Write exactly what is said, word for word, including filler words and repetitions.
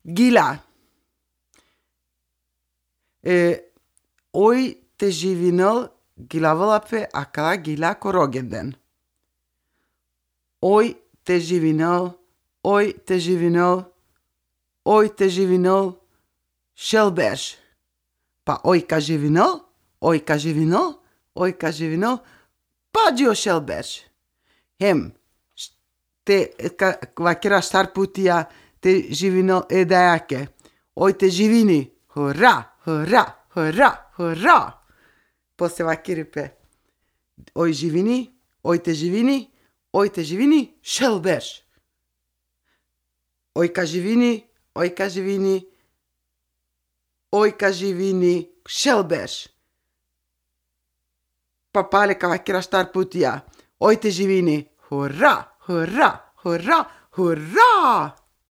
Gila. E, oj te živinel, gilavela pe akala gila ko rođendan. Oj te živinel, oj te živinel, oj te živinel, šel berš. Pa oj ka živinel, oj ka živinel, oj ka živinel, pa dži o šel berš. Hem, š-, te, ka, vakera štar putija te živinel e dajake. Oj te živini, hura, hura, hura, hura. Posle vakeri pe. Oj živini, oj te živini, oj te živini, šel berš. Oj ka živini, oj ka živini, oj ka živini, šel berš. Pa pale ka vakera štar putija. Oj te živini, hura, hura, hura, hura.